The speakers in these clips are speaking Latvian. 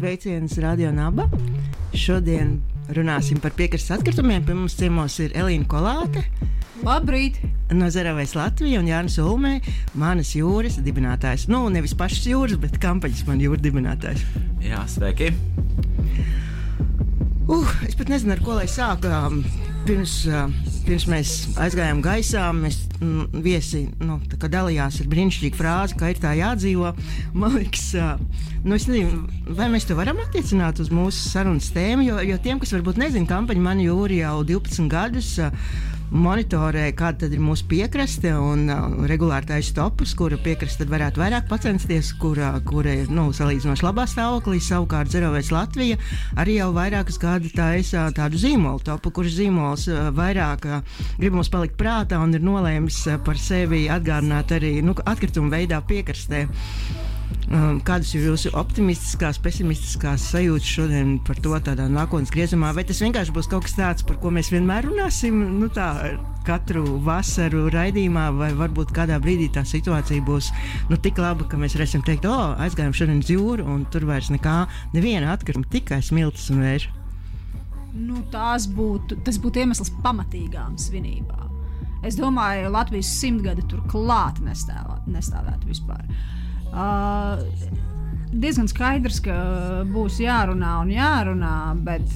Sveiciens Radio Naba. Šodien runāsim par piekrastes atkritumiem. Pie mums ciemos ir Elīna Kolāte. Labrīt! No Zero Waste Latvija un Jānis Ulmē, Manas jūras dibinātājs. Nu, nevis pašas jūras, bet kampaņas Man jūra dibinātājs. Jā, sveiki! Es pat nezinu, ar ko lai sāku. Pirms mēs aizgājām gaisā, mēs viesi dalījās ar brīnišķīgu frāzi, ka ir tā jādzīvo. Man liekas, es nezinu, vai mēs to varam attiecināt uz mūsu sarunas tēmu, jo tiem, kas varbūt nezina, kampaņa Man jūra jau 12 gadus monitorē, kāda tad ir mūsu piekraste un regulāri taisa topus, kura piekraste tad varētu vairāk pacensties, kura ir salīdzinoši labā stāvoklī. Savukārt Zero Waste Latvija arī jau vairākas gadu taisa tādu zīmolu topu, kurš zīmols vairāk grib mums palikt prātā un ir nolēmis par sevi atgādināt arī atkritumu veidā piekrastē. Kādas ir jūsu optimistiskās, pesimistiskās sajūtas šodien par to tādā nākotnes griezumā? Vai tas vienkārši būs kaut kas tāds, par ko mēs vienmēr runāsim, katru vasaru raidījumā, vai varbūt kādā brīdī tā situācija būs tik laba, ka mēs varēsim teikt, aizgājām šodien uz jūru un tur vairs neviena atkrituma, tikai smiltis un vējš? Tas būtu iemesls pamatīgām svinībām. Es domāju, Latvijas 100 gadi tur klāt nestāvētu vispār. Diezgan skaidrs, ka būs jārunā, bet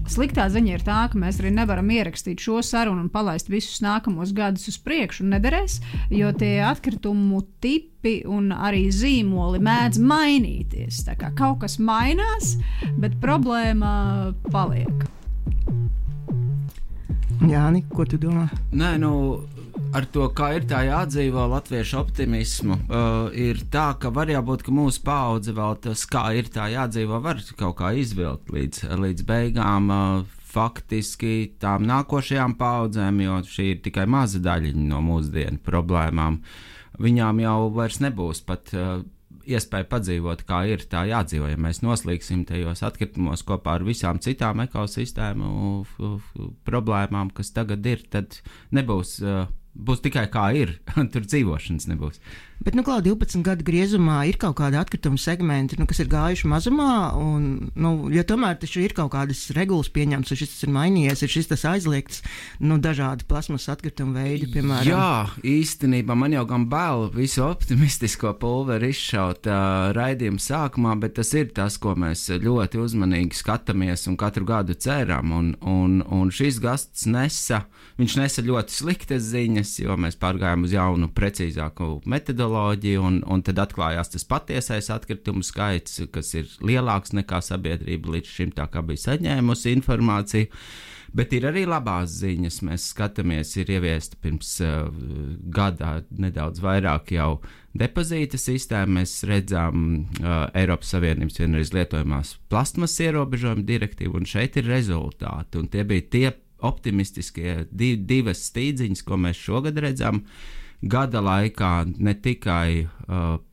sliktā ziņa ir tā, ka mēs arī nevaram ierakstīt šo sarunu un palaist visus nākamos gadus uz priekšu, un nederēs, jo tie atkritumu tipi un arī zīmoli mēdz mainīties. Tā kā kaut kas mainās, bet problēma paliek. Jāni, ko tu domā? Nē, ar to, kā ir tā jādzīvo latviešu optimismu, ir tā, ka var jābūt, ka mūsu paudze vēl tas, kā ir tā jādzīvo, var kaut kā izvilkt līdz beigām faktiski tām nākošajām paudzēm, jo šī ir tikai maza daļiņa no mūsdienu problēmām. Viņām jau vairs nebūs pat iespēja padzīvot, kā ir tā jādzīvo. Ja mēs noslīgsim tajos atkritumos kopā ar visām citām ekosistēmu problēmām, kas tagad ir, tad būs tikai kā ir, tur dzīvošanas nebūs. Bet, 12 gadu griezumā ir kaut kādi atkrituma segmenti, kas ir gājuši mazumā, jo tomēr taču ir kaut kādas regulas pieņemtas, un šis tas ir mainījies, ir šis tas aizliegts, dažādi plasmas atkrituma veidi, piemēram. Jā, īstenībā man jau gan bail visu optimistisko pulveri izšaut raidījuma sākumā, bet tas ir tas, ko mēs ļoti uzmanīgi skatāmies un katru gadu ceram, un šis gasts viņš nesa ļoti sliktas ziņas, jo mēs pārgājām uz jaunu, precīzāku metodoloģiju, un tad atklājās tas patiesais atkritumu skaits, kas ir lielāks nekā sabiedrība līdz šim tā kā bija saņēmusi informāciju. Bet ir arī labās ziņas. Mēs skatāmies, ir ieviesta pirms gadā nedaudz vairāk jau depozīta sistēma. Mēs redzam Eiropas Savienības vienreiz lietojamās plastmasas ierobežojuma direktīvu, un šeit ir rezultāti. Un tie bija tie optimistiskie divas stīdziņas, ko mēs šogad redzam. Gada laikā ne tikai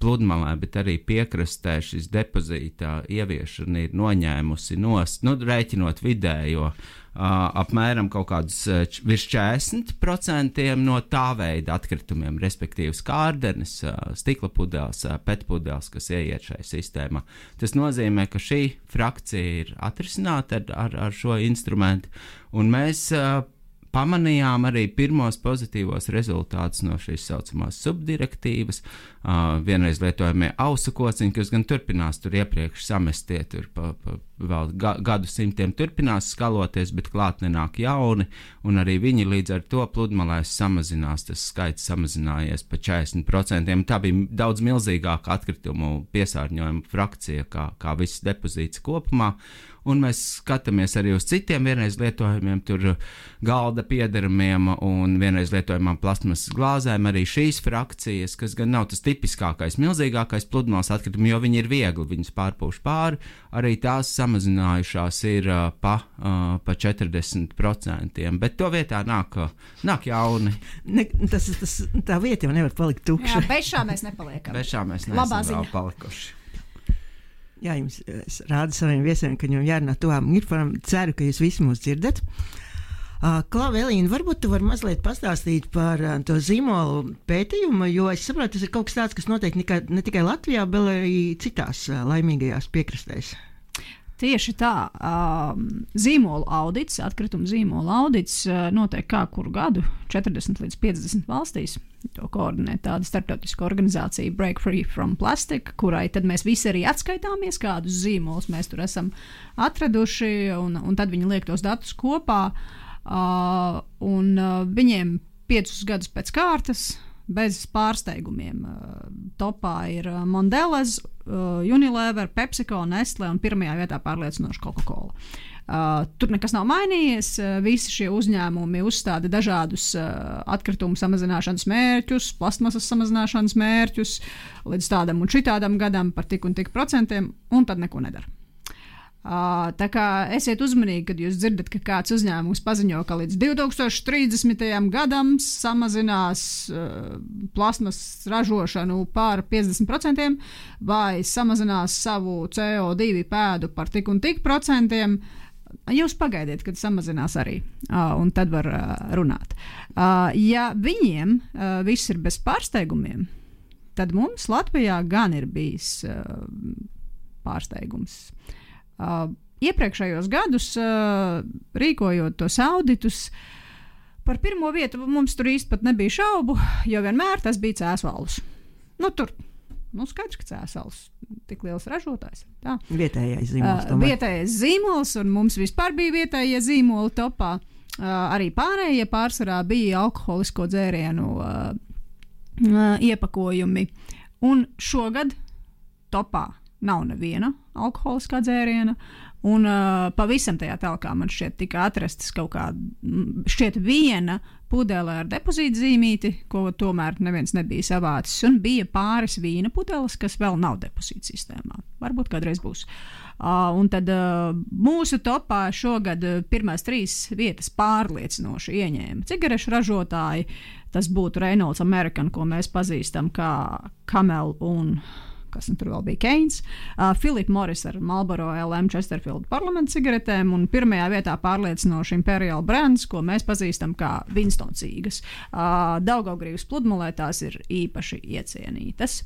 pludmalē, bet arī piekrastē šis depozīta ieviešana ir noņēmusi rēķinot vidējo apmēram kaut kādus virs 40% no tā veida atkritumiem, respektīvi skārdenes, stikla pudeles, PET pudeles, kas ieiet šai sistēmā. Tas nozīmē, ka šī frakcija ir atrisināta ar šo instrumentu, un mēs pamanījām arī pirmos pozitīvos rezultātus no šīs saucamās subdirektīvas. Vienreiz lietojamie ausu kociņi, kas gan turpinās tur iepriekš samestie, tur vēl gadu simtiem turpinās skaloties, bet klāt nenāk jauni, un arī viņi līdz ar to pludmalēs samazinās, tas skaits samazinājies pa 40%. Tā bija daudz milzīgāka atkritumu piesārņojuma frakcija, kā viss depozīts kopumā. Un mēs skatāmies arī uz citiem vienreiz lietojumiem, tur galda piederamiem un vienreiz lietojamām plasmasas glāzēm, arī šīs frakcijas, kas gan nav tas tipiskākais, milzīgākais pludmales atkritumi, jo viņi ir viegli, viņas pārpūš pāri, arī tās samazinājušās ir pa 40%, bet to vietā nāk jauni. Tā vieta jau nevar palikt tukša. Jā, bešā mēs nepaliekam. Bešā mēs neesam vēl palikuši. Jā, es rādu saviem viesiem, ka viņam jārunā tuvām mikrofonam. Ceru, ka jūs visi mūs dzirdat. Klau, Elīna, varbūt tu vari mazliet pastāstīt par to zīmolu pētījumu, jo es saprotu, tas ir kaut kas tāds, kas notiek ne tikai Latvijā, bet arī citās laimīgajās piekrastēs. Tieši tā, zīmolu audits, atkritumu zīmolu audits notiek kā kuru gadu 40 līdz 50 valstīs. To koordinē tāda starptautiska organizācija Break Free from Plastic, kurai tad mēs visi arī atskaitāmies, kādus zīmolus mēs tur esam atraduši, un tad viņi liek tos datus kopā, un viņiem 5 gadus pēc kārtas, bez pārsteigumiem. Topā ir Mondelez, Unilever, PepsiCo, Nestle un pirmajā vietā pārliecinoši Coca-Cola. Tur nekas nav mainījies, visi šie uzņēmumi uzstāda dažādus atkritumu samazināšanas mērķus, plastmasas samazināšanas mērķus līdz tādam un šitādam gadam par tik un tik procentiem, un tad neko nedara. Tā kā esiet uzmanīgi, kad jūs dzirdat, ka kāds uzņēmums paziņo, ka līdz 2030. gadam samazinās plasmasas ražošanu par 50% vai samazinās savu CO2 pēdu par tik un tik procentiem. Jūs pagaidiet, kad samazinās arī, un tad var runāt. Ja viņiem viss ir bez pārsteigumiem, tad mums Latvijā gan ir bijis pārsteigums. Iepriekšējos gadus, rīkojot tos auditus, par pirmo vietu mums tur īsti pat nebija šaubu, jo vienmēr tas bija Cēsvalus. Skaidrs, ka Cēsvalus tik liels ražotājs. Tā. Vietējais zīmols. Vietējais zīmols, un mums vispār bija vietējie zīmoli topā. Arī pārējie pārsvarā bija alkoholisko dzērienu iepakojumi. Un šogad topā nav neviena alkoholiskā dzēriena, un pavisam tajā telkā man šķiet tika atrastas kaut kāda, viena pudele ar depozītu zīmīti, ko tomēr neviens nebija savācis, un bija pāris vīna pudeles, kas vēl nav depozītu sistēmā. Varbūt kādreiz būs. Un tad mūsu topā šogad pirmās 3 vietas pārliecinoši ieņēma cigarešu ražotāji. Tas būtu Reynolds American, ko mēs pazīstam kā Camel un kas tur vēl bija Keins, Philip Morris ar Marlboro LM Chesterfield parlamenta cigaretēm, un pirmajā vietā pārliecinoši Imperial brands, ko mēs pazīstam kā Winston cīgas. Daugavgrīvas pludmalē tās ir īpaši iecienītas,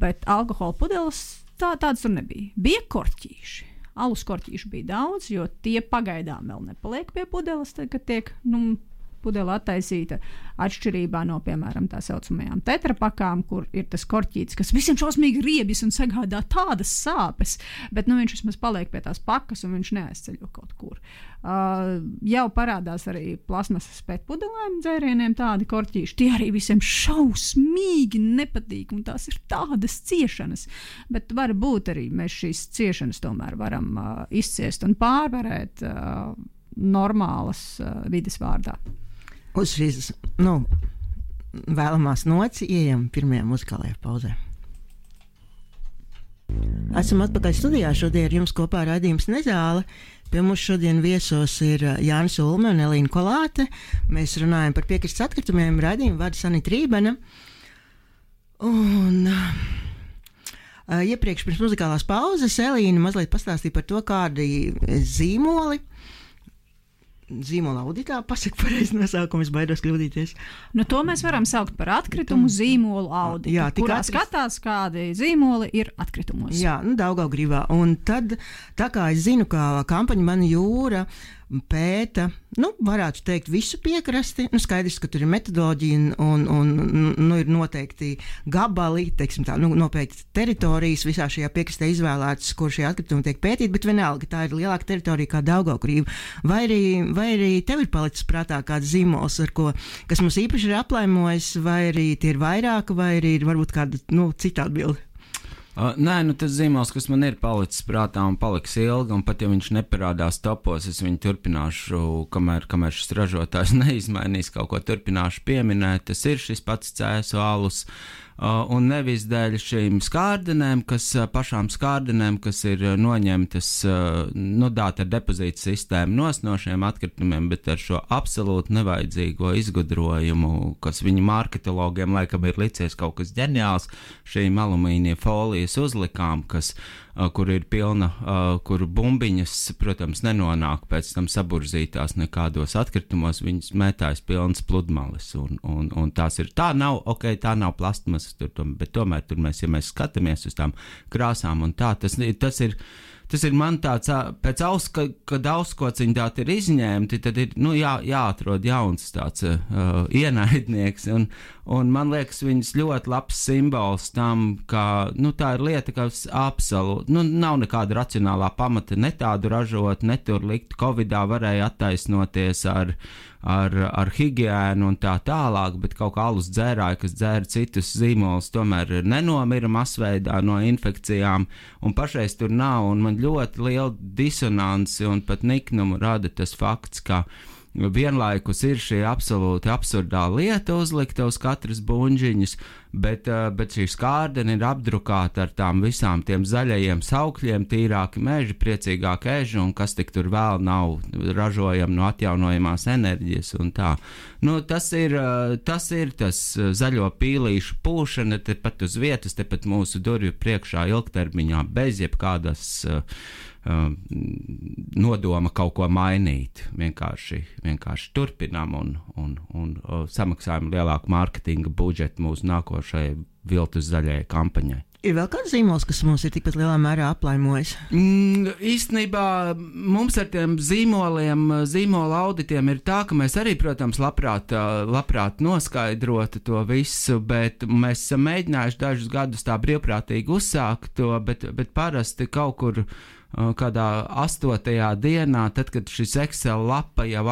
bet alkohola pudeles tādas tur nebija. Bija korķīši. Alus korķīšu bija daudz, jo tie pagaidām vēl nepaliek pie pudeles, kad tiek, pudele attaisīta atšķirībā no, piemēram, tā saucamajām tetrapakām, kur ir tas korķītis, kas visiem šausmīgi riebjas un sagādā tādas sāpes, bet viņš vismaz paliek pie tās pakas un viņš neaizceļo kaut kur. Jau parādās arī plasmasas pēc pudelēm dzērieniem tādi korķīši. Tie arī visiem šausmīgi nepatīk, un tās ir tādas ciešanas. Bet varbūt arī mēs šīs ciešanas tomēr varam izciest un pārvarēt normālas vides vārdā. Uz šīs, vēlamās nots ejam pirmajā muzikālajā pauzē. Esam atpakaļ studijā. Šodien ar jums kopā raidījums Nezāle. Pie mums šodien viesos ir Jānis Ulme un Elīna Kolāte. Mēs runājam par piekrastes atkritumiem. Raidījumu vada Sanita Rībena. Un iepriekš pirms muzikālās pauzes Elīna mazliet pastāstīja par to, kādi zīmola auditā, pasaka pareizi nosaukumu, es baidos kļūdīties. To mēs varam saukt par atkritumu zīmolu auditu, kurā skatās, kādi zīmoli ir atkritumos. Jā, Daugavgrīvā. Un tad, tā kā es zinu, kā kampaņa Mana jūra pēta, varētu teikt, visu piekrasti. Skaidrs, ka tur ir metodoloģija un ir noteikti gabali, teiksim tā, noteikti teritorijas visā šajā piekrastē izvēlētas, kur šie atkritumi tiek pētīti, bet vienalga tā ir lielāka teritorija kā Daugavgrīva. Vai arī tev ir palicis prātā kāds zīmols, kas mums īpaši ir aplaimojis, vai arī tie ir vairāk, vai arī ir varbūt kāda cita atbilde? Nē, tas zīmols, kas man ir palicis prātā un paliks ilgi, un pat ja viņš neparādās topos, es viņu turpināšu, kamēr šis ražotājs neizmainīs kaut ko, turpināšu pieminēt. Tas ir šis pats Cēsu alus, un nevis dēļ šīm skārdenēm, pašām skārdenēm, kas ir noņemtas, dāt ar depozītu sistēmu no šiem atkritumiem, bet ar šo absolūti nevajadzīgo izgudrojumu, kas viņu marketologiem laikam ir licies kaut kas ģeniāls, šīm alumīnija folijas uzlikām, kur ir pilna, kur bumbiņas, protams, nenonāk pēc tam saburzītās nekādos atkritumos, viņas mētājas pilnas pludmales, un tās ir, tā nav plastmasas, bet tomēr tur mēs, ja mēs skatāmies uz tām krāsām un tā, tas ir man tāds, kad auskociņi tādi ir izņemti, tad ir, jāatrod jauns tāds ienaidnieks, un man liekas, viņas ļoti labs simbols tam, ka, tā ir lieta, kas absolūti, nav nekāda racionālā pamata ne tādu ražot, ne tur likt, Covidā varēja attaisnoties ar higiēnu un tā tālāk, bet kaut kā alus dzērāji, kas dzēra citus zīmolus, tomēr nenomira masveidā no infekcijām, un pašreiz tur nav, un man ļoti liela disonanci un pat niknumu rada tas fakts, ka vienlaikus ir šī absolūti absurdā lieta uzlikta uz katras buņģiņas, bet šī skārdene ir apdrukāta ar tām visām tiem zaļajiem saukļiem, tīrāki meži, priecīgāki eži, un kas tik tur vēl nav ražojami no atjaunojamās enerģijas un tā. Tas ir tas zaļo pīlīšu pūšana, tepat uz vietas, tepat mūsu durvju priekšā ilgtermiņā, bez jebkādas nodoma kaut ko mainīt. Vienkārši turpinām un samaksājam lielāku mārketinga budžetu mūsu nākošajai viltus zaļajai kampaņai. Ir vēl kāds zīmols, kas mums ir tikpat lielā mērā aplaimojis? Īstenībā mums ar tiem zīmola auditiem ir tā, ka mēs arī, protams, labprāt noskaidrotu to visu, bet mēs esam mēģinājuši dažus gadus tā brīvprātīgi uzsākt to, bet parasti kaut kur kādā 8. dienā, tad, kad šis Excel lapa jau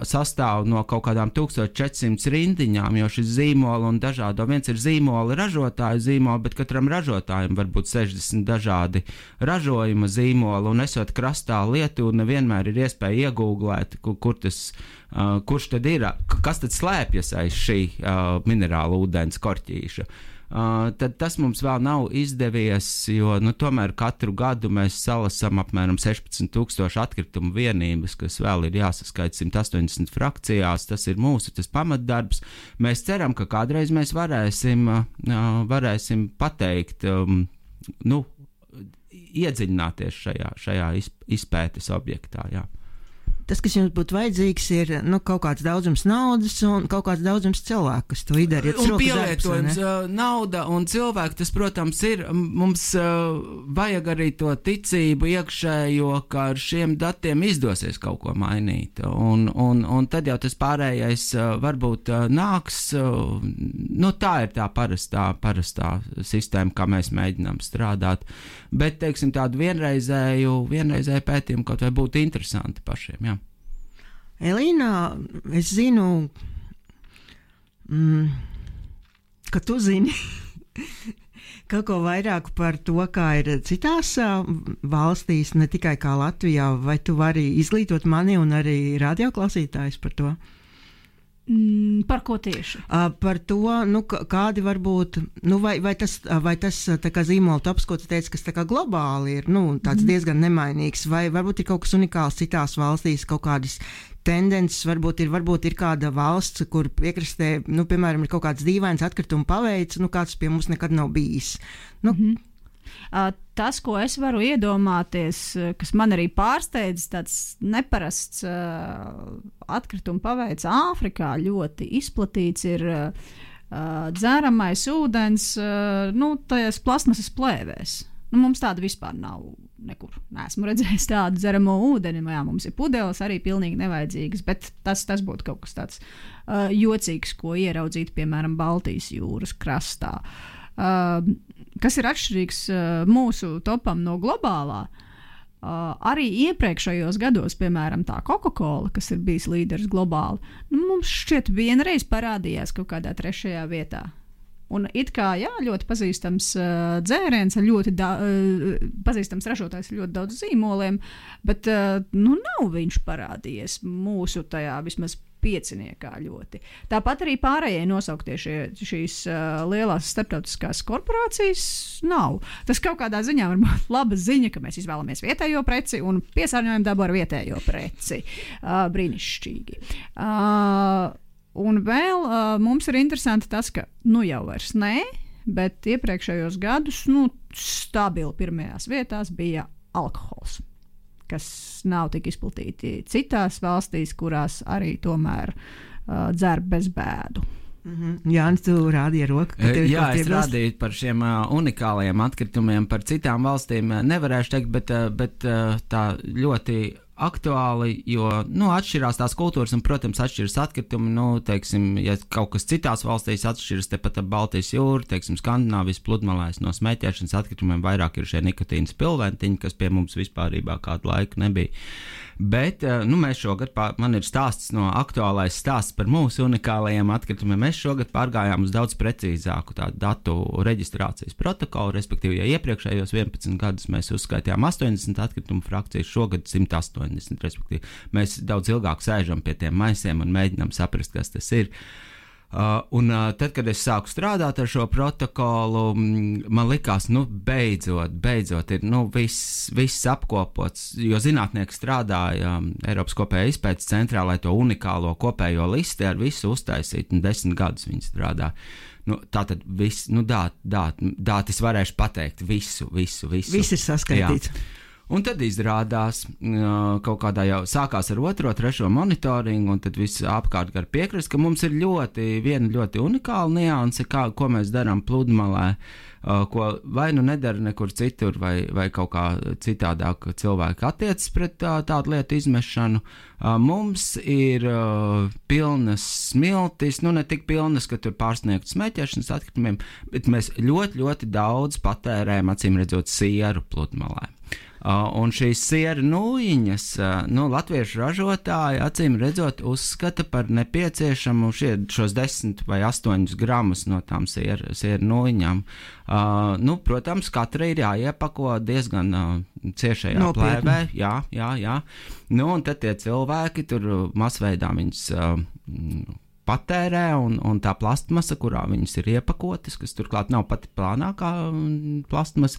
sastāv no kaut kādām 1400 rindiņām, jo šis zīmola un dažādo, viens ir zīmola ražotāju zīmola, bet katram ražotājam var būt 60 dažādi ražojuma zīmola, un esot krastā Lietuva, nevienmēr ir iespēja iegūglēt, kurš tad ir, kas tad slēpjas aiz šī minerāla ūdens korķīša. Tad tas mums vēl nav izdevies, jo tomēr katru gadu mēs salasam apmēram 16,000 atkritumu vienības, kas vēl ir jāsaskaita 180 frakcijās. Tas ir tas pamatdarbs. Mēs ceram, ka kādreiz mēs varēsim pateikt, iedziļināties šajā izpētes objektā. Jā. Tas, kas jums būtu vajadzīgs, ir kaut kāds daudzums naudas un kaut kāds daudzums cilvēku, kas to izdara. Un pielietojums nauda un cilvēki, tas, protams, ir. Mums vajag arī to ticību iekšējo, ka ar šiem datiem izdosies kaut ko mainīt. Un tad jau tas pārējais varbūt nāks. Tā ir tā parastā sistēma, kā mēs mēģinām strādāt. Bet, teiksim, tādu vienreizēju pētījumu kaut vai būtu interesanti pašiem, jā. Elīna, es zinu, ka tu zini kaut ko vairāk par to, kā ir citās valstīs, ne tikai kā Latvijā. Vai tu vari izglītot mani un arī radioklausītājus par to? Par ko tieši? Par to, kādi var būt, vai tas tā kā zīmola tops, ko tu teici, kas tā kā globāli ir, tāds diezgan nemainīgs, vai varbūt ir kaut kas unikāls citās valstīs, kaut kādas tendences, varbūt ir kāda valsts, kur piekrastē, piemēram, ir kaut kāds dīvains atkrituma paveids, kāds pie mums nekad nav bijis. Tas, ko es varu iedomāties, kas man arī pārsteidz, tāds neparasts atkrituma paveids Āfrikā ļoti izplatīts ir dzeramais ūdens, tajās plasmasas plēvēs. Mums tāda vispār nav nekur. Neesmu redzējis tādu dzeramo ūdeni. Jā, mums ir pudeles arī pilnīgi nevajadzīgas, bet tas būtu kaut kas tāds jocīgs, ko ieraudzīt, piemēram, Baltijas jūras krastā. Kas ir atšķirīgs mūsu topam no globālā? Arī iepriekšējos gados, piemēram, tā Coca-Cola, kas ir bijis līderis globāli, mums šķiet vienreiz parādījās kaut kādā 3. vietā. Un it kā, jā, ļoti pazīstams dzēriens, ļoti pazīstams ražotājs ar ļoti daudz zīmoliem, bet nav viņš parādījies mūsu tajā vismaz pieciniekā ļoti. Tāpat arī pārējie nosauktie šīs lielās starptautiskās korporācijas nav. Tas kaut kādā ziņā var būt laba ziņa, ka mēs izvēlamies vietējo preci un piesārņojam dabu ar vietējo preci. Brīnišķīgi. Un vēl mums ir interesanti tas, ka jau vairs nē, bet iepriekšējos gadus stabili pirmajās vietās bija alkohols, kas nav tik izplatīti citās valstīs, kurās arī tomēr dzer bez bēdu. Jānis, tu rādīji roku. Jā, es rādīju par šiem unikālajiem atkritumiem, par citām valstīm nevarēšu teikt, bet tā ļoti aktuāli, jo atšķirās tās kultūras un, protams, atšķiras atkritumi. Teiksim, ja kaut kas citās valstīs atšķiras tepat ap Baltijas jūru, teiksim, Skandināvijas pludmalēs no smēķēšanas atkritumiem vairāk ir šie nikotīna spilventiņi, kas pie mums vispārībā kādu laiku nebija. Bet mēs šogad, man ir aktuālais stāsts par mūsu unikālajiem atkritumiem. Mēs šogad pārgājām uz daudz precīzāku tādu datu reģistrācijas protokolu, respektīvi, ja iepriekšējos 11 gadus mēs uzskaitījām 80 atkritumu frakcijas, šogad 180, respektīvi, mēs daudz ilgāk sēžam pie tiem maisiem un mēģinām saprast, kas tas ir. Tad, kad es sāku strādāt ar šo protokolu, man likās, beidzot ir viss apkopots, jo zinātnieki strādāja Eiropas kopējā izpētes centrā, lai to unikālo kopējo listi ar visu uztaisītu, un 10 gadus viņi strādā. Tātad viss, es varēšu pateikt visu. Viss ir saskaitīts. Jā. Un tad izrādās, kaut kādā jau sākās ar 2., 3. monitoringu, un tad viss apkārt gar piekrist, ka mums ir viena ļoti unikāla nianse, ko mēs darām pludmalē, ko vai nedara nekur citur, vai kaut kā citādāk cilvēki attiecas pret tādu lietu izmešanu. Mums ir pilnas smiltis, ne tik pilnas, ka tur pārsniegtu smēķēšanas atkritumiem, bet mēs ļoti, ļoti daudz patērējam, acīm redzot, sieru pludmalē. Un šīs siera nūjiņas, latviešu ražotāji, acīm redzot, uzskata par nepieciešamu šos 10 vai 8 gramus no tām siera nūjiņām. Protams, katra ir jāiepako diezgan ciešajā plēvē. Jā. Un tad tie cilvēki tur masveidā viņas patērē, un tā plastmasa, kurā viņas ir iepakotas, kas turklāt nav pati plānākā plastmasa,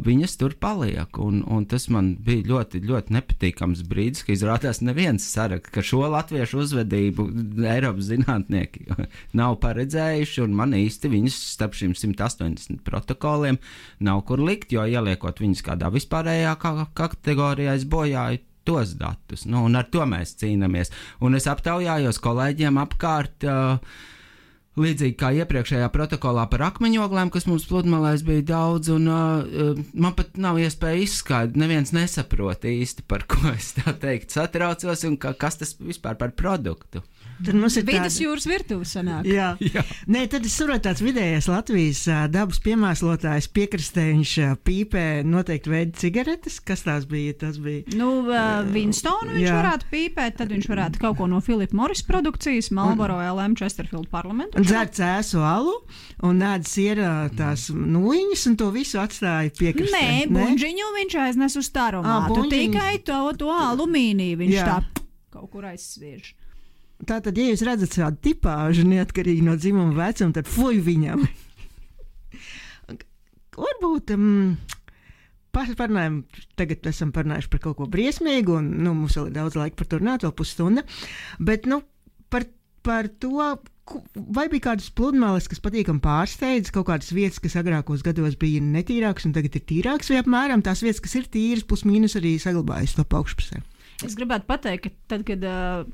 viņas tur paliek. Un tas man bija ļoti, ļoti nepatīkams brīdis, ka izrādās neviens saraksta, ka šo latviešu uzvedību Eiropas zinātnieki nav paredzējuši, un man īsti viņas starp šīm 180 protokoliem nav kur likt, jo ieliekot viņas kādā vispārējā kategorijā es bojāju tos datus, un ar to mēs cīnāmies. Un es aptaujājos kolēģiem apkārt, līdzīgi kā iepriekšējā protokolā par akmeņoglēm, kas mums pludmalēs bija daudz, un man pat nav iespēja izskaidrot, neviens nesaprot īsti, par ko es tā teikt satraucos, un kas tas vispār par produktu. Tad mums ir Vidas jūras virtuve sanāk. Jā. Nē, tad es saprotu tāds vidējais Latvijas dabas piemēslotājs piekrastē, viņš pīpē noteikti veidu cigaretes. Kas tās bija? Tas bija... Winstonu viņš varētu pīpēt, tad viņš varētu kaut ko no Philip Morris produkcijas, Marlboro LM Chesterfield parlamentu. Un dzer cēsu alu un ēd siera tās nūjiņas un to visu atstāja piekrastē. Nē, buņģiņu viņš aiznes uz taromātu, tikai to alumīniju viņš tā kaut kur aizsviež. Tātad, ja jūs redzat šādu tipāžu neatkarīgi no dzimuma vecuma, tad fuj viņam. Varbūt tagad esam parunājuši par kaut ko briesmīgu, un mums vēl ir daudz laika par to runāt, vēl pusstunda. Bet par to, vai bija kādas pludmales, kas patīkami pārsteidz, kaut kādas vietas, kas agrākos gados bija netīrākas un tagad ir tīrākas, vai apmēram tās vietas, kas ir tīras, plus mīnus arī saglabājas to augšpusē? Es gribētu pateikt, ka tad, kad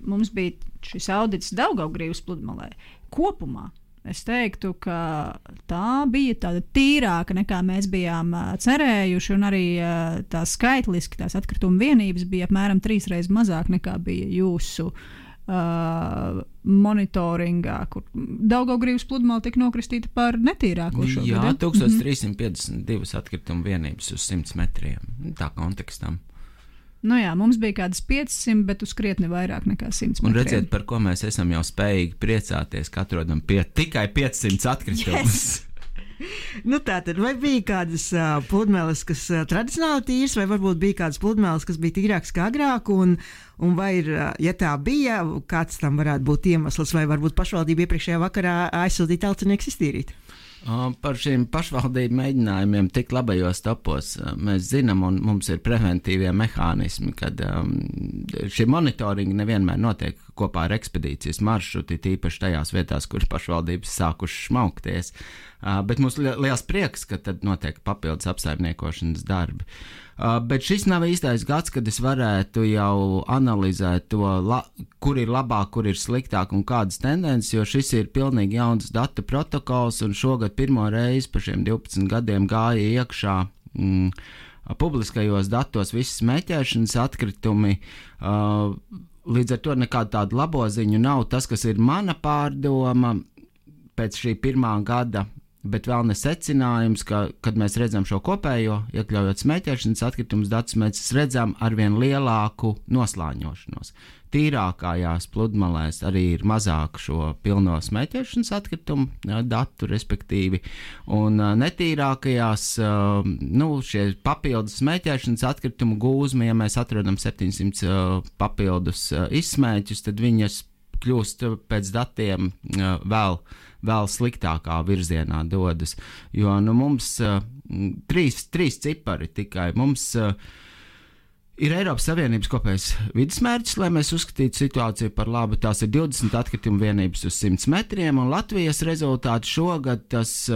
mums bija šis audits Daugavgrīvas pludmalē, kopumā es teiktu, ka tā bija tāda tīrāka nekā mēs bijām cerējuši, un arī tā skaitliski tās atkrituma vienības bija apmēram 3 reizes mazāk nekā bija jūsu monitoringā, kur Daugavgrīvas pludmale tika nokristīta par netīrāko šogad. Jā, 1352 atkrituma vienības uz 100 metriem, tā kontekstam. Mums bija kādas 500, bet uz krietni vairāk nekā 100 metriem. Un redziet, par ko mēs esam jau spējīgi priecāties, ka atrodam tikai 500 atkritumus. Tātad, vai bija kādas pludmales, kas tradicionāli tīras, vai varbūt bija kādas pludmales, kas bija tīrākas kā agrāk, un vai ir, ja tā bija, kāds tam varētu būt iemesls, vai varbūt pašvaldība iepriekšējā vakarā aizsūtīja tautsinieks iztīrīt? Par šīm pašvaldību mēģinājumiem tik labajos topos mēs zinām, un mums ir preventīvie mehānismi, kad šie monitoringi nevienmēr notiek kopā ar ekspedīcijas maršruti, tīpaši tajās vietās, kur pašvaldības sākuši šmaukties. Bet mums liels prieks, ka tad notiek papildus apsaimniekošanas darbi. Bet šis nav īstais gads, kad es varētu jau analizēt to, kur ir labāk, kur ir sliktāk un kādas tendences, jo šis ir pilnīgi jauns datu protokols, un šogad pirmo reizi pa šiem 12 gadiem gāja iekšā publiskajos datos visi smēķēšanas atkritumi. Līdz ar to nekādu tādu labo ziņu nav. Tas, kas ir mana pārdoma pēc šī pirmā gada, bet vēl ne secinājums, ka, kad mēs redzam šo kopējo, iekļaujot smēķēšanas atkritumus datus, mēs redzam arvien lielāku noslāņošanos. Tīrākajās pludmalēs arī ir mazāk šo pilno smēķēšanas atkritumu datu, respektīvi, un netīrākajās, šie papildus smēķēšanas atkritumu gūzmi, ja mēs atrodam 700 papildus izsmēķus, tad viņas kļūst pēc datiem vēl sliktākā virzienā dodas, jo mums trīs cipari tikai. Mums ir Eiropas Savienības kopējais vidusmērķis, lai mēs uzskatītu situāciju par labu. Tās ir 20 atkritumu vienības uz 100 metriem, un Latvijas rezultāti šogad tas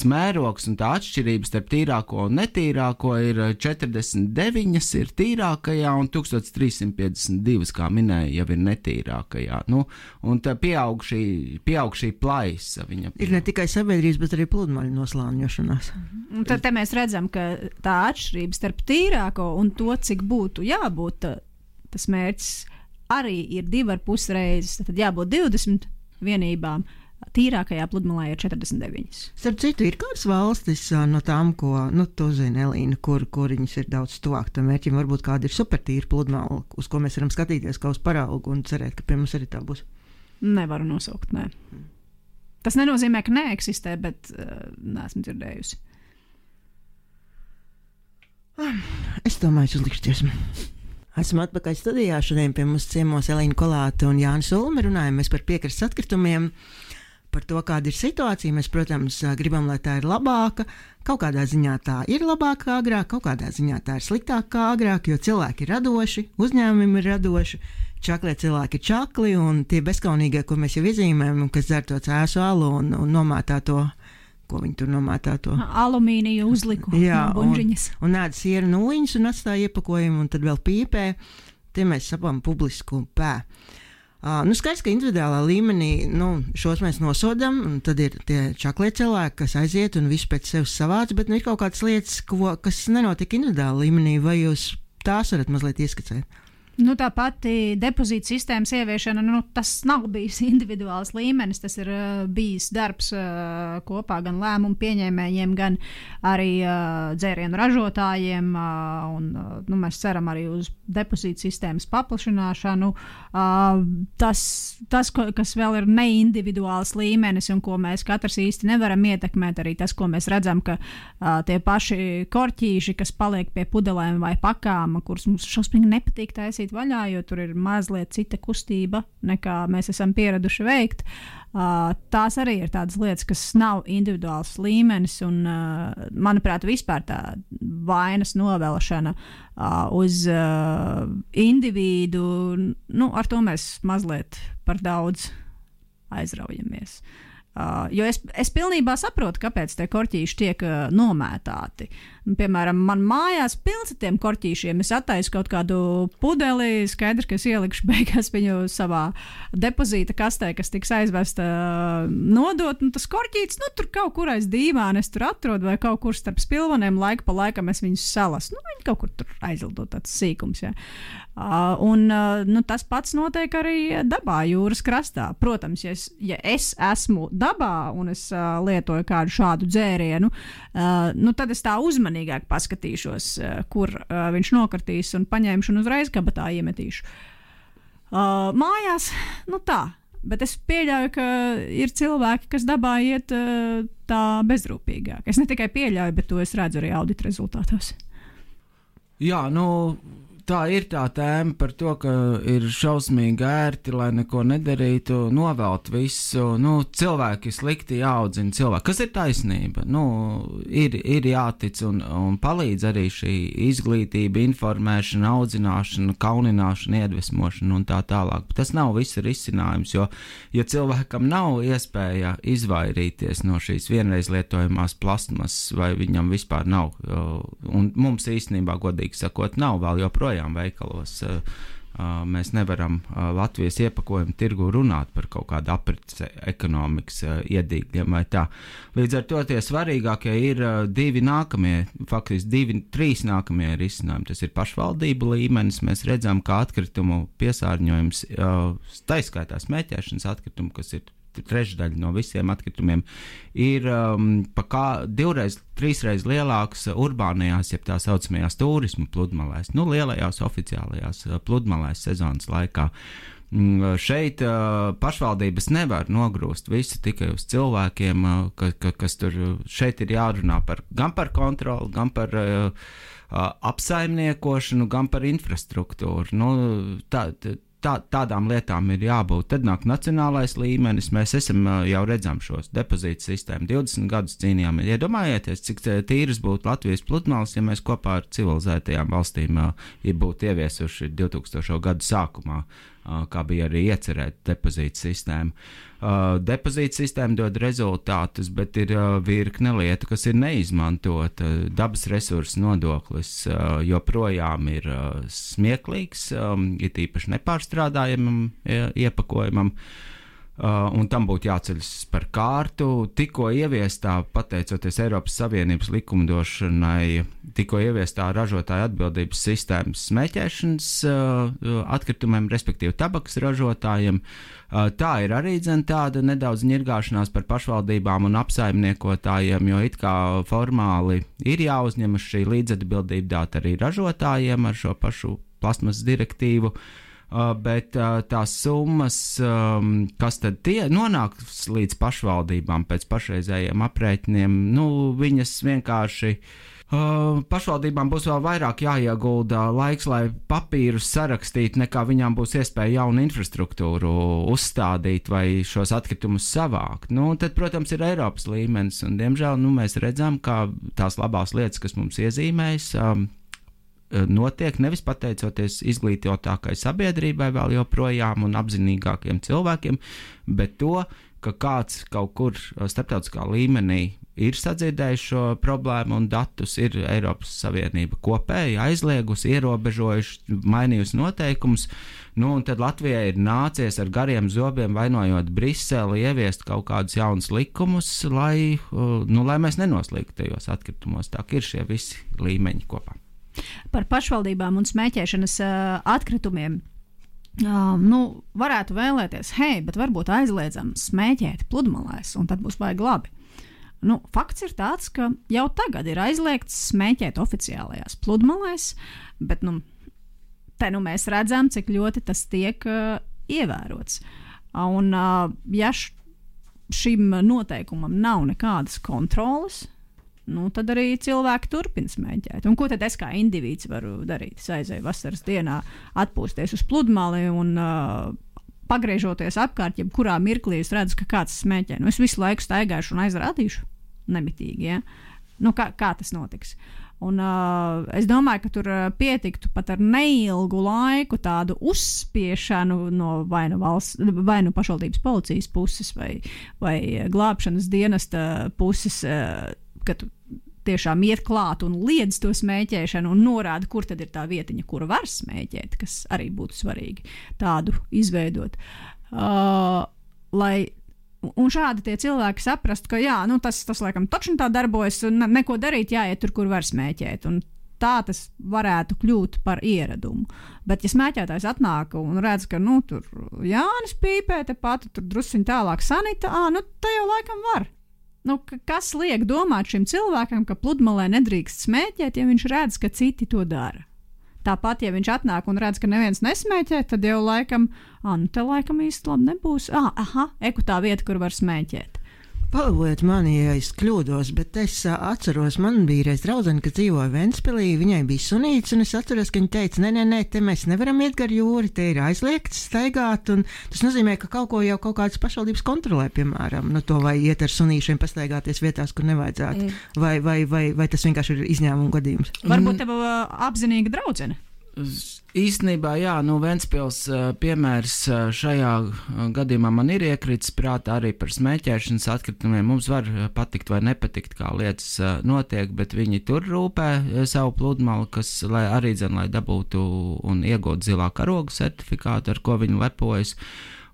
mērogs un tā atšķirības starp tīrāko un netīrāko ir 49 ir tīrākajā un 1352, kā minēja, jau ir netīrākajā. Un tā pieaug šī plaisa. Ir ne tikai sabiedrības, bet arī pludmaļu noslāņošanās. Un tad te mēs redzam, ka tā atšķirība starp tīrāko un to, cik būtu jābūt, tas mērķis arī ir 2,5 reizes. Tad jābūt 20 vienībām, tīrākajā pludmalē ir 49. Starp citu, ir kādas valstis no tām, ko, tu zini, Elīna, kur viņas ir daudz tuvāk tam mērķim, varbūt kāda ir supertīra pludmala, uz ko mēs varam skatīties kā uz paraugu un cerēt, ka pie mums arī tā būs? Nevaru nosaukt, nē. Tas nenozīmē, ka neeksistē, bet neesmu dzirdējusi. Es domāju, uzlikšu dziesmu. Esmu atpakaļ studijā. Šodien pie mums ciemos Elīna Kolāte un Jānis Ulme. Runājamies par piekrastes atkritumiem, par to, kāda ir situācija. Mēs, protams, gribam, lai tā ir labāka. Kaut kādā ziņā tā ir labāka kā agrāk, kaut kādā ziņā tā ir sliktāka kā agrāk, jo cilvēki ir radoši, uzņēmumi ir radoši, čaklie cilvēki ir čakli, un tie bezkaunīgie, ko mēs jau iezīmējam, kas dzer to cēsu alu un nomētā to, ko viņi tur nomētā to alumīniju uzliku no buņģiņas. Un ēd sieru nūjiņas un atstāja iepakojumu, un tad vēl pīpē. Tie mēs sapam publisku pē. Skaidrs, ka individuālā līmenī šos mēs nosodam, un tad ir tie čaklie cilvēki, kas aiziet un visu pēc sevis savāc, bet ir kaut kādas lietas, kas nenotika individuālā līmenī, vai jūs tās varat mazliet ieskicēt? Tā pati depozīta sistēmas ieviešana, tas nav bijis individuāls līmenis, tas ir bijis darbs kopā gan lēmumu pieņēmējiem, gan arī dzērienu ražotājiem, un mēs ceram arī uz depozīta sistēmas paplašināšanu. Tas, kas vēl ir neindividuāls līmenis un ko mēs katrs īsti nevaram ietekmēt, arī tas, ko mēs redzam, ka tie paši korķīši, kas paliek pie pudelēm vai pakām, kurus mums šausmīgi nepatīk taisīt vaļā, jo tur ir mazliet cita kustība, nekā mēs esam pieraduši veikt. Tās arī ir tādas lietas, kas nav individuāls līmenis, un, manuprāt, vispār tā vainas novelšana uz individu, ar to mēs mazliet par daudz aizraujamies. Jo es pilnībā saprotu, kāpēc tie korķīši tiek nomētāti. Piemēram, man mājās pilns ar tiem korķīšiem. Es attaisu kaut kādu pudeli, skaidrs, ka es ielikšu beigās viņu savā depozīta kastē, kas tiks aizvesta nodot, un tas korķītis, tur kaut kur aiz dīvāna es tur atrodu, vai kaut kur starp spilvaniem laika pa laikam es viņus salasu. Viņi kaut kur tur aizlido tāds sīkums, jā. Tas pats notiek arī dabā, jūras krastā. Protams, ja es esmu dabā un es lietoju kādu šādu dzērienu, tad es tā uzmanīgāk paskatīšos, kur viņš nokartīs un paņemšu un uzreiz kabatā iemetīšu. Mājās, bet es pieļauju, ka ir cilvēki, kas dabā iet tā bezrūpīgāk. Es ne tikai pieļauju, bet to es redzu arī audita rezultātos. Jā, tā ir tā tēma par to, ka ir šausmīgi ērti, lai neko nedarītu, novelt visu. Cilvēki slikti jāaudzina cilvēki. Kas ir taisnība? Ir jātic un palīdz arī šī izglītība, informēšana, audzināšana, kaunināšana, iedvesmošana un tā tālāk. Bet tas nav viss risinājums, jo, ja cilvēkam nav iespēja izvairīties no šīs vienreiz lietojamās plastmasas, vai viņam vispār nav, un mums īstenībā, godīgi sakot, nav vēl joprojām veikalos. Mēs nevaram Latvijas iepakojumu tirgu runāt par kaut kādu aprits ekonomikas iedīgļiem vai tā. Līdz ar to tie svarīgākie ir trīs nākamie risinājumi. Tas ir pašvaldību līmenis. Mēs redzam, ka atkritumu piesārņojums, taiskaitā smēķēšanas atkritumu, kas ir trešdaļa no visiem atkritumiem, ir trīsreiz lielāks urbānajās, jeb tā saucamajās turismu pludmalēs, lielajās oficiālajās pludmalēs sezonas laikā. Šeit pašvaldības nevar nogrūst visu tikai uz cilvēkiem, kas tur šeit ir jārunā gan par kontroli, gan par apsaimniekošanu, gan par infrastruktūru. Tādām lietām ir jābūt. Tad nāk nacionālais līmenis. Mēs jau redzam šos depozītu sistēmu. 20 gadus cīnījāmies. Iedomājieties, cik tīras būtu Latvijas pludmales, ja mēs kopā ar civilizētajām valstīm būtu ieviesuši 2000. gadu sākumā, kā bija arī iecerēta depozītu sistēma. Depozītu sistēma dod rezultātus, bet ir virkne lietu, kas ir neizmantota. Dabas resursu nodoklis joprojām ir smieklīgs, ir īpaši nepārstrādājamam iepakojumam, un tam būtu jāceļas par kārtu. Tikko ieviestā, pateicoties Eiropas Savienības likumdošanai, tikko ieviestā ražotāja atbildības sistēmas smēķēšanas atkritumiem, respektīvi tabakas ražotājiem, tā ir arī tāda nedaudz ņirgāšanās par pašvaldībām un apsaimniekotājiem, jo it kā formāli ir jāuzņemas šī līdzatbildība dāt arī ražotājiem ar šo pašu plastmasas direktīvu. Bet tās summas, kas tad nonāks līdz pašvaldībām pēc pašreizējiem aprēķiniem, viņas vienkārši pašvaldībām būs vēl vairāk jāiegulda laiks, lai papīrus sarakstītu, nekā viņām būs iespēja jaunu infrastruktūru uzstādīt vai šos atkritumus savākt. Tad, protams, ir Eiropas līmenis, un, diemžēl, mēs redzam, ka tās labās lietas, kas mums iezīmējas, notiek nevis pateicoties izglītotākai sabiedrībai vēl joprojām un apzinīgākiem cilvēkiem, bet to, ka kāds kaut kur starptautiskā līmenī ir sadzirdējis šo problēmu un datus, ir Eiropas Savienība kopēji aizliegusi, ierobežojuši, mainījusi noteikumus, un tad Latvijai ir nācies ar gariem zobiem, vainojot Briseli, ieviest kaut kādus jaunus likumus, lai mēs nenoslīgtu tajos atkritumos. Tā ir šie visi līmeņi kopā. Par pašvaldībām un smēķēšanas atkritumiem. Varētu vēlēties, bet varbūt aizliedzam smēķēt pludmalēs, un tad būs baigi labi. Fakts ir tāds, ka jau tagad ir aizliegts smēķēt oficiālajās pludmalēs, bet te mēs redzam, cik ļoti tas tiek ievērots. Un ja šim noteikumam nav nekādas kontroles, tad arī cilvēki turpina smēķēt. Un ko tad es kā indivīds varu darīt? Es aizēju vasaras dienā atpūsties uz pludmali un pagriežoties apkārt, jebkurā mirklī es redzu, ka kāds smēķē. Es visu laiku staigāšu un aizrādīšu nemitīgi. Ja? Kā tas notiks? Un es domāju, ka tur pietiktu pat ar neilgu laiku tādu uzspiešanu no vai nu pašvaldības policijas puses vai glābšanas dienesta puses, ka tu tiešām iet klāt un liedz to smēķēšanu un norāda, kur tad ir tā vietiņa, kura var smēķēt, kas arī būtu svarīgi tādu izveidot. Un šādi tie cilvēki saprast, ka tas laikam taču tā darbojas un neko darīt, jāiet tur, kur var smēķēt. Un tā tas varētu kļūt par ieradumu. Bet ja smēķētājs atnāk un redz, ka tur Jānis pīpē tepat, tur drusciņ tālāk Sanita, tā jau laikam var. Kas liek domāt šim cilvēkam, ka pludmalē nedrīkst smēķēt, ja viņš redz, ka citi to dara? Tāpat, ja viņš atnāk un redz, ka neviens nesmēķē, tad jau laikam, te laikam īsti labi nebūs. Tā vieta, kur var smēķēt. Palabojiet mani, ja es kļūdos, bet es atceros, man bija reiz draudzene, kas dzīvoja Ventspilī, viņai bija sunīts, un es atceros, ka viņa teica, nē, te mēs nevaram iet gar jūri, te ir aizliegts staigāt, un tas nozīmē, ka kaut ko jau kaut kādas pašvaldības kontrolē, piemēram, to vai iet ar sunīšiem pastaigāties vietās, kur nevajadzētu, vai tas vienkārši ir izņēmuma gadījums. Varbūt tev apzinīga draudzene? Īstenībā, jā, Ventspils piemērs šajā gadījumā man ir iekritis prātā arī par smēķēšanas atkritumiem. Mums var patikt vai nepatikt, kā lietas notiek, bet viņi tur rūpē savu pludmali, lai arī lai dabūtu un iegūtu zilā karoga certifikātu, ar ko viņi lepojas.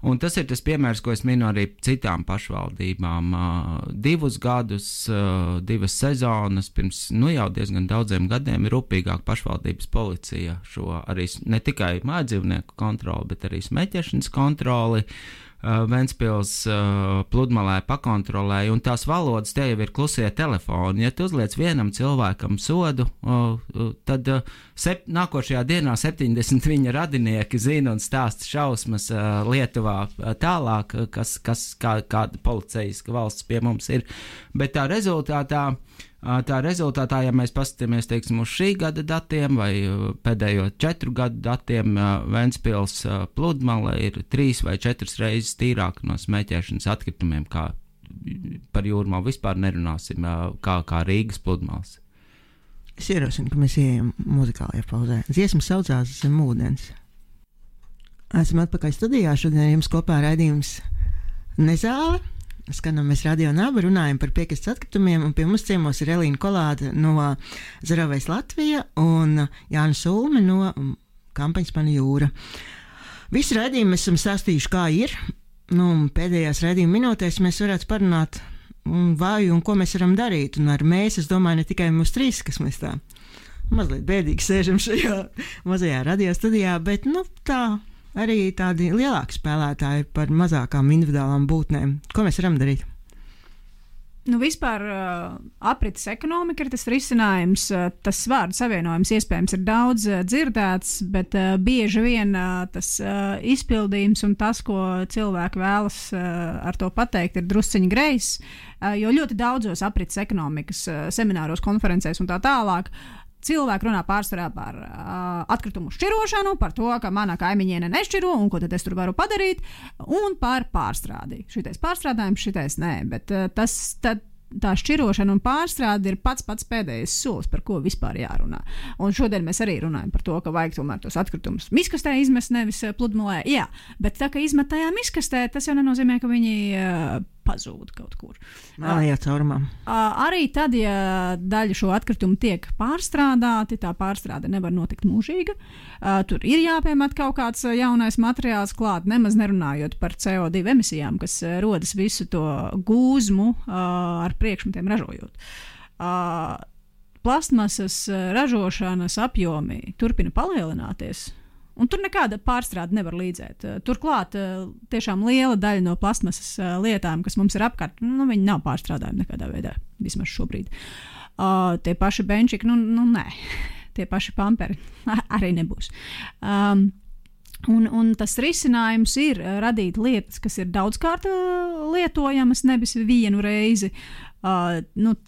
Un tas ir tas piemērs, ko es minu arī citām pašvaldībām. 2 gadus, 2 sezonas, pirms jau diezgan daudziem gadiem ir rūpīgāk pašvaldības policija šo arī ne tikai mājdzīvnieku kontroli, bet arī smēķēšanas kontroli Ventspils pludmalē pakontrolēja, un tās valodas te jau ir klusie telefoni. Ja tu uzliec vienam cilvēkam sodu, tad nākošajā dienā 70 viņa radinieki zina un stāsta šausmas Lietuvā tālāk, kāda policeiska valsts pie mums ir. Bet tā rezultātā, ja mēs paskatāmies, teiksim, uz šī gada datiem vai pēdējo 4 gadu datiem, Ventspils pludmale ir 3 vai 4 reizes tīrāka no smēķēšanas atkritumiem, kā par Jūrmalu vispār nerunāsim, kā Rīgas pludmales. Es ierosinu, ka mēs ejam muzikālajā pauzē. Dziesma saucās Zem ūdens. Esam atpakaļ studijā, šodien jums kopā raidījums Nezāle. Skanamies Radio Naba, runājam par piekrastes atkritumiem, un pie mums ciemos ir Elīna Kolāde no Zaravējas Latvija un Jānis Ulme no kampaņas Mana jūra. Visu raidījumu mēs esam stāstījuši, kā ir. Pēdējās raidījuma minūtēs mēs varētu parunāt vai un ko mēs varam darīt. Un ar mēs, es domāju, ne tikai mūs 3, kas mēs tā mazliet bēdīgi sēžam šajā mazajā radio studijā, bet tā arī tādi lielāki spēlētāji par mazākām individuālām būtnēm. Ko mēs varam darīt? Vispār aprites ekonomika ir tas risinājums. Tas vārdu savienojums iespējams ir daudz dzirdēts, bet bieži vien tas izpildījums un tas, ko cilvēki vēlas ar to pateikt, ir drusciņi grejs, jo ļoti daudzos aprites ekonomikas semināros, konferencēs un tā tālāk cilvēki runā pārsvarā par atkritumu šķirošanu, par to, ka mana kaimiņiene nešķiro un ko tad es tur varu padarīt, un par pārstrādi. Šitais pārstrādājums, šitais nē, bet tā šķirošana un pārstrāde ir pats pēdējais solis, par ko vispār jārunā. Un šodien mēs arī runājam par to, ka vajag tomēr tos atkritumus miskastē izmest, nevis pludmalē. Jā, bet tā, ka izmet tajā miskastē, tas jau nenozīmē, ka viņi pazūd kaut kur. Mālajā caurumā. Arī tad, ja daļa šo atkritumu tiek pārstrādāti, tā pārstrāde nevar notikt mūžīga. Tur ir jāpiemet kaut kāds jaunais materiāls klāt, nemaz nerunājot par CO2 emisijām, kas rodas visu to gūzmu ar priekšmetiem ražojot. Plastmasas ražošanas apjomi turpina palielināties. Un tur nekāda pārstrāde nevar līdzēt. Turklāt tiešām liela daļa no plastmasas lietām, kas mums ir apkārt, viņi nav pārstrādājumi nekādā veidā, vismaz šobrīd. Tie paši benčiki, nē. Tie paši pamperi arī nebūs. Un tas risinājums ir radīt lietas, kas ir daudzkārt lietojamas, nevis vienu reizi.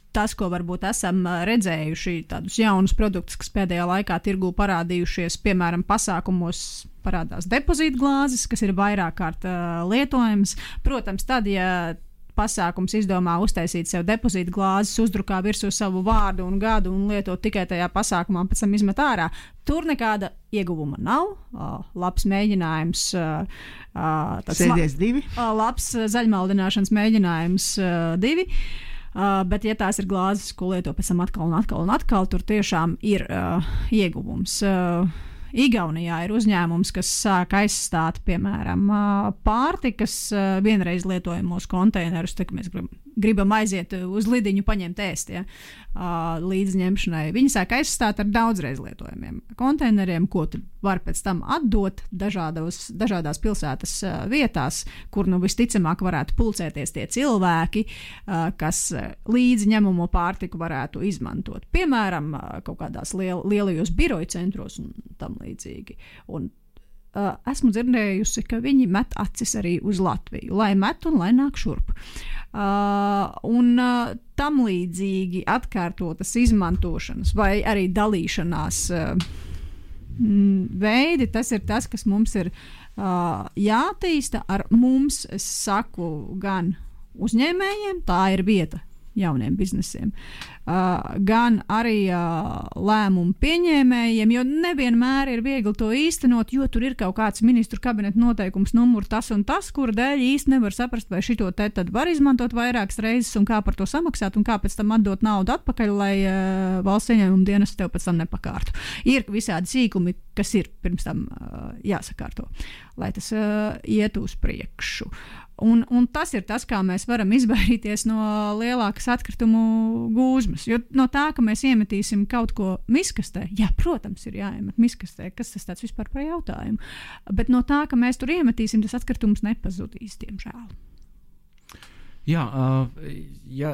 Tas, ko varbūt esam redzējuši, tādus jaunus produktus, kas pēdējā laikā tirgū parādījušies, piemēram, pasākumos parādās depozītglāzes, kas ir vairāk kārt lietojams. Protams, tad, ja pasākums izdomā uztaisīt sev depozītglāzes, uzdrukā virsū savu vārdu un gadu un lietot tikai tajā pasākumā, pēc tam izmet ārā, tur nekāda ieguvuma nav. Labs mēģinājums. Sēdies 2. Labs zaļmaldināšanas mēģinājums 2. Bet, ja tās ir glāzes, ko lieto pēc tam atkal, tur tiešām ir ieguvums. Igaunijā ir uzņēmums, kas sāk aizstāt, piemēram, pārtikas vienreiz lietojamos konteinerus, tā, ka mēs gribam gribam aiziet uz lidiņu, paņemt ēst, ja, līdzņemšanai. Viņi sāk aizstāt ar daudzreiz lietojamiem konteineriem, ko tu var pēc tam atdot dažādās pilsētas vietās, kur visticamāk varētu pulcēties tie cilvēki, kas līdzņemamo pārtiku varētu izmantot. Piemēram, kaut kādās lielajos biroju centros un tam līdzīgi. Un esmu dzirdējusi, ka viņi met acis arī uz Latviju, lai met un lai nāk šurp. Tam līdzīgi atkārtotas izmantošanas vai arī dalīšanās veidi, tas ir tas, kas mums ir jātīsta ar mums, es saku, gan uzņēmējiem, tā ir vieta jauniem biznesiem, gan arī lēmumu pieņēmējiem, jo nevienmēr ir viegli to īstenot, jo tur ir kaut kāds ministru kabineta noteikums numur tas un tas, kura dēļ īsti nevar saprast, vai šito te tad var izmantot vairākas reizes un kā par to samaksāt un kā pēc tam atdot naudu atpakaļ, lai valsts ieņēmuma dienas tev pēc tam nepakārtu. Ir visādi sīkumi, kas ir pirms tam jāsakārto, lai tas iet uz priekšu. Un tas ir tas, kā mēs varam izvairīties no lielākas atkritumu gūzmas. Jo no tā, ka mēs iemetīsim kaut ko miskastē, jā, protams, ir jāiemet miskastē, kas tas tāds vispār par jautājumu. Bet no tā, ka mēs tur iemetīsim, tas atkritums nepazudīs, diemžēl. Jā,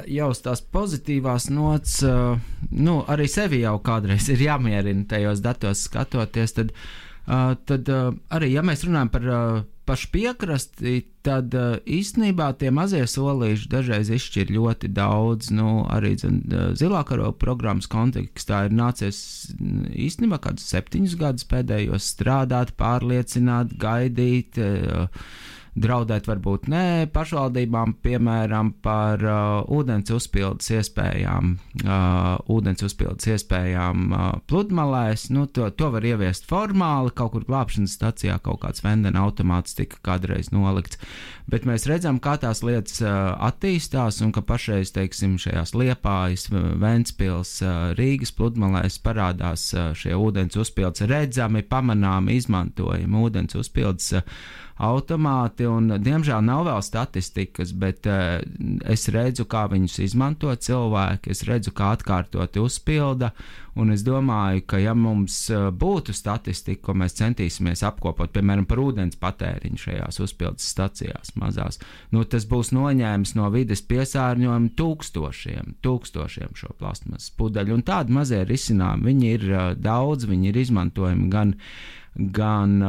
ja uz tās pozitīvās nots, arī sevi jau kādreiz ir jāmierina tajos datos skatoties, tad arī, ja mēs runājam par pašu piekrasti, tad īstenībā tie mazie solīši dažreiz izšķir ļoti daudz. Arī zilā karoga programmas kontekstā ir nācies īstenībā kādus 7 gadus pēdējos strādāt, pārliecināt, gaidīt, draudēt varbūt ne pašvaldībām, piemēram, par ūdens uzpildes iespējām pludmalēs. To var ieviest formāli, kaut kur glābšanas stacijā kaut kāds vendena automāts tika kādreiz nolikts. Bet mēs redzam, kā tās lietas attīstās un ka pašreiz, teiksim, šajās Liepājas, Ventspils, Rīgas pludmalēs parādās šie ūdens uzpildes redzami, pamanāmi, izmantojami ūdens uzpildes automāti, un diemžēl nav vēl statistikas, bet es redzu, kā viņus izmanto cilvēki, es redzu, kā atkārtoti uzpilda, un es domāju, ka ja mums būtu statistika, ko mēs centīsimies apkopot, piemēram, par ūdens patēriņu šajās uzpildes stacijās mazās, tas būs noņēmis no vides piesārņojumu tūkstošiem šo plastmasas pudeļu, un tādi mazie risinājumi, viņi ir daudz, viņi ir izmantojami gan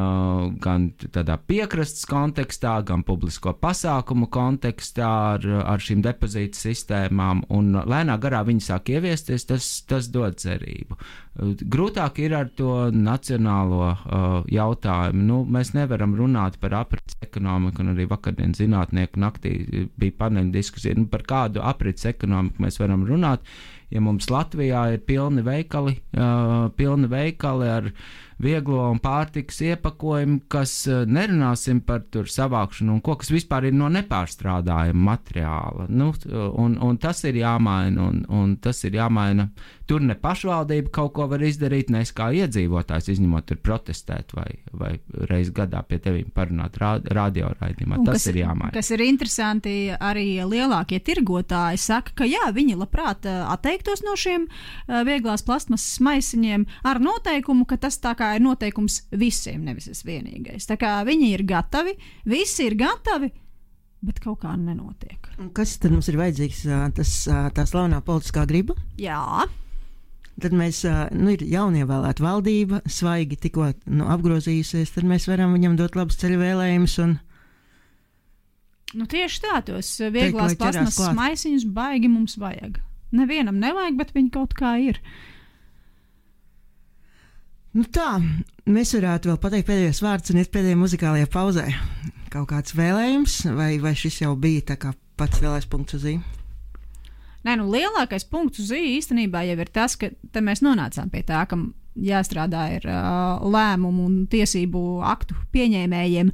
tādā piekrastes kontekstā, gan publisko pasākumu kontekstā ar šīm depozītu sistēmām, un lēnā garā viņi sāk ieviesties, tas dod cerību. Grūtāk ir ar to nacionālo jautājumu. Mēs nevaram runāt par aprits ekonomiku, un arī vakardien zinātnieku naktī bija paneļa diskusija, par kādu aprits ekonomiku mēs varam runāt, ja mums Latvijā ir pilni veikali ar vieglo un pārtikas iepakojumu, kas nerunāsim par tur savākšanu un ko, kas vispār ir no nepārstrādājuma materiāla. Un tas ir jāmaina, un tas ir jāmaina. Tur ne pašvaldība kaut ko var izdarīt, ne es kā iedzīvotājs, izņemot tur protestēt vai reiz gadā pie tevīm parunāt radioraidījumā. Tas ir jāmaina. Kas ir interesanti, arī lielākie tirgotāji saka, ka jā, viņi labprāt atteiktos no šiem vieglās plastmasas maisiņiem ar noteikumu, ka tas tā kā ir noteikums visiem, nevis es vienīgais. Tā kā viņi ir gatavi, visi ir gatavi, bet kaut kā nenotiek. Un kas tad mums ir vajadzīgs? Tā slavenā politiskā griba? Jā. Tad mēs, ir jaunievēlēta valdība, svaigi tikko apgrozījusies, tad mēs varam viņam dot labus ceļu vēlējumus un... tieši tā, tos vieglās plastmasas maisiņus baigi mums vajag. Nevienam nevajag, bet viņi kaut kā ir. Tā, mēs varētu vēl pateikt pēdējos vārdus un iet pēdējā muzikālajā pauzē. Kaut kāds vēlējums, vai šis jau bija tā kā pats lielais punkts uz i? Nē, lielākais punkts uz i īstenībā jau ir tas, ka te mēs nonācām pie tā, ka jāstrādā ir lēmumu un tiesību aktu pieņēmējiem.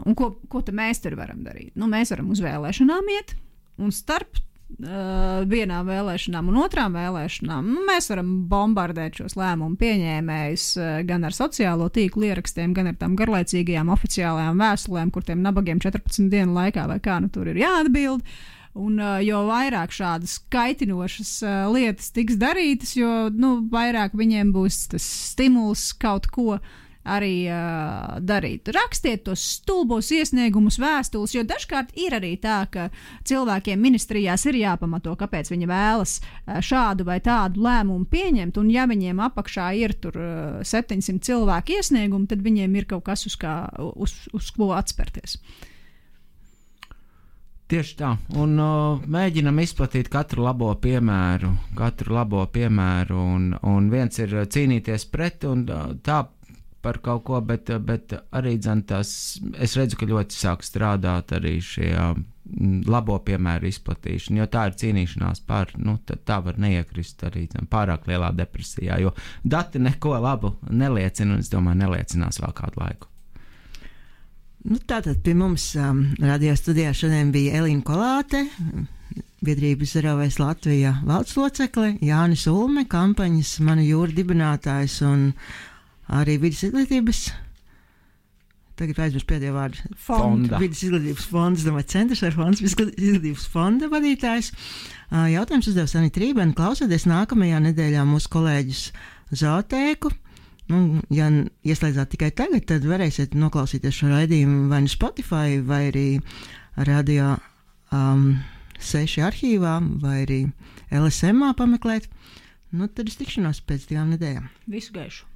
Un ko te mēs tur varam darīt? Mēs varam uz vēlēšanām iet, un starp vienām vēlēšanām un otrām vēlēšanām mēs varam bombardēt šos lēmumu pieņēmējus gan ar sociālo tīklu ierakstiem, gan ar tām garlaicīgajām oficiālajām vēstulēm, kur tiem nabagiem 14 dienu laikā vai kā tur ir jāatbild. Un jo vairāk šādas kaitinošas lietas tiks darītas, jo vairāk viņiem būs tas stimuls kaut ko arī darīt. Rakstiet tos stulbos iesniegumus, vēstules, jo dažkārt ir arī tā, ka cilvēkiem ministrijās ir jāpamato, kāpēc viņi vēlas šādu vai tādu lēmumu pieņemt, un ja viņiem apakšā ir tur 700 cilvēku iesniegumu, tad viņiem ir kaut kas, uz ko atspērties. Tieši tā, un mēģinam izplatīt katru labo piemēru, un viens ir cīnīties pret, un tā par kaut ko, bet arī es redzu, ka ļoti sāk strādāt arī šie labo piemēru izplatīšana, jo tā ir cīnīšanās par, tā var neiekrist arī pārāk lielā depresijā, jo dati neko labu neliecina, un es domāju, neliecinās vēl kādu laiku. Tātad pie mums radio studijā šodien bija Elīna Kolāte, biedrības Zero-Waste Latvija valdes locekle, Jānis Ulme, kampaņas Mana jūra dibinātājs un arī vidas izglītības, tagad aizmirst pēdējo vārdu, vidas izglītības fonds, domāju, centrs vai fonds, izglītības fonda vadītājs. Jautājums uzdev Sanita Rībena, klausieties nākamajā nedēļā mūsu kolēģis Zootēku. Ja ieslēdzāt tikai tagad, tad varēsiet noklausīties šo raidījumu vai nu Spotify, vai arī Radio 6 arhīvā, vai arī LSM pameklēt. Tad es tikšanos pēc 2 nedēļām. Visu gaišu!